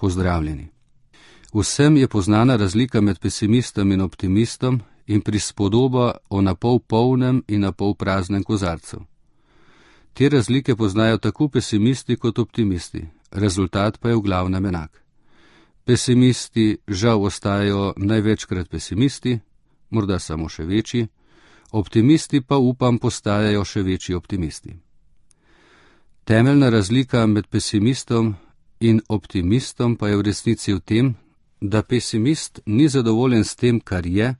Pozdravljeni. Vsem je poznana razlika med pesimistom in optimistom in prispodoba o napol polnem in napol praznem kozarcu. Te razlike poznajo tako pesimisti kot optimisti, rezultat pa je v glavnem enak. Pesimisti žal ostajajo največkrat pesimisti, morda samo še večji, optimisti pa upam postajajo še večji optimisti. Temeljna razlika med pesimistom in optimistom pa je v resnici v tem, da pesimist ni zadovoljen s tem, kar je,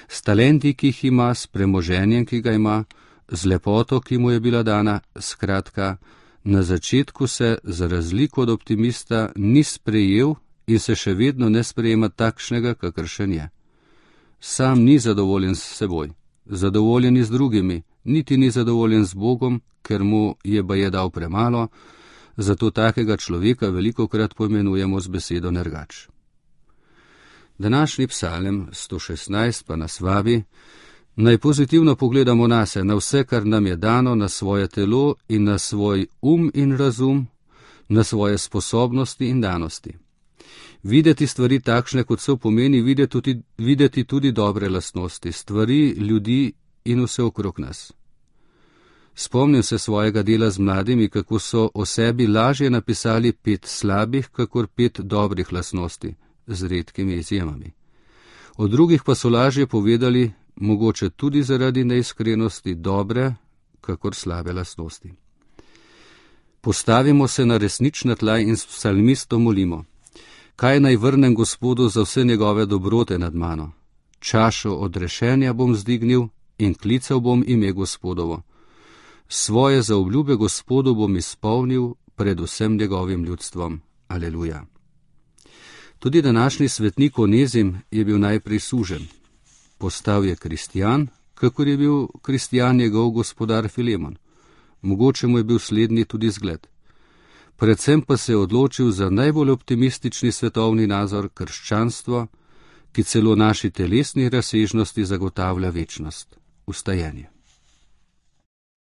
s talenti, ki jih ima, s premoženjem, ki ga ima, z lepoto, ki mu je bila dana, skratka, na začetku se, za razliko od optimista, ni sprejel in se še vedno ne sprejema takšnega, kakršen je. Sam ni zadovoljen s seboj, zadovoljen je z drugimi, niti ni zadovoljen z Bogom, ker mu je baje dal premalo, zato takega človeka velikokrat poimenujemo z besedo nergač. Današnji psalem 116 pa nas vabi, naj pozitivno pogledamo nase, na vse, kar nam je dano, na svoje telo in na svoj in razum, na svoje sposobnosti in danosti. Videti stvari takšne, kot so, pomeni videti tudi dobre lastnosti, stvari, ljudi in vse okrog nas. Spomnim se svojega dela z mladimi, kako so o sebi lažje napisali 5 slabih, kakor 5 dobrih lastnosti, z redkimi izjemami. O drugih pa so lažje povedali, mogoče tudi zaradi neiskrenosti, dobre, kakor slabe lastnosti. Postavimo se na resnična tla in s psalmistom molimo. Kaj naj vrnem Gospodu za vse njegove dobrote nad mano? Čašo odrešenja bom zdignil in klical bom ime Gospodovo. Svoje zaobljube Gospodu bom izpolnil pred vsem njegovim ljudstvom. Aleluja. Tudi današnji svetnik Onezim je bil najprej suženj. Postal je kristjan, kakor je bil kristjan njegov gospodar Filemon. Mogoče mu je bil slednji tudi zgled. Predvsem pa se je odločil za najbolj optimistični svetovni nazor, krščanstvo, ki celo naši telesni razsežnosti zagotavlja večnost, vstajenje.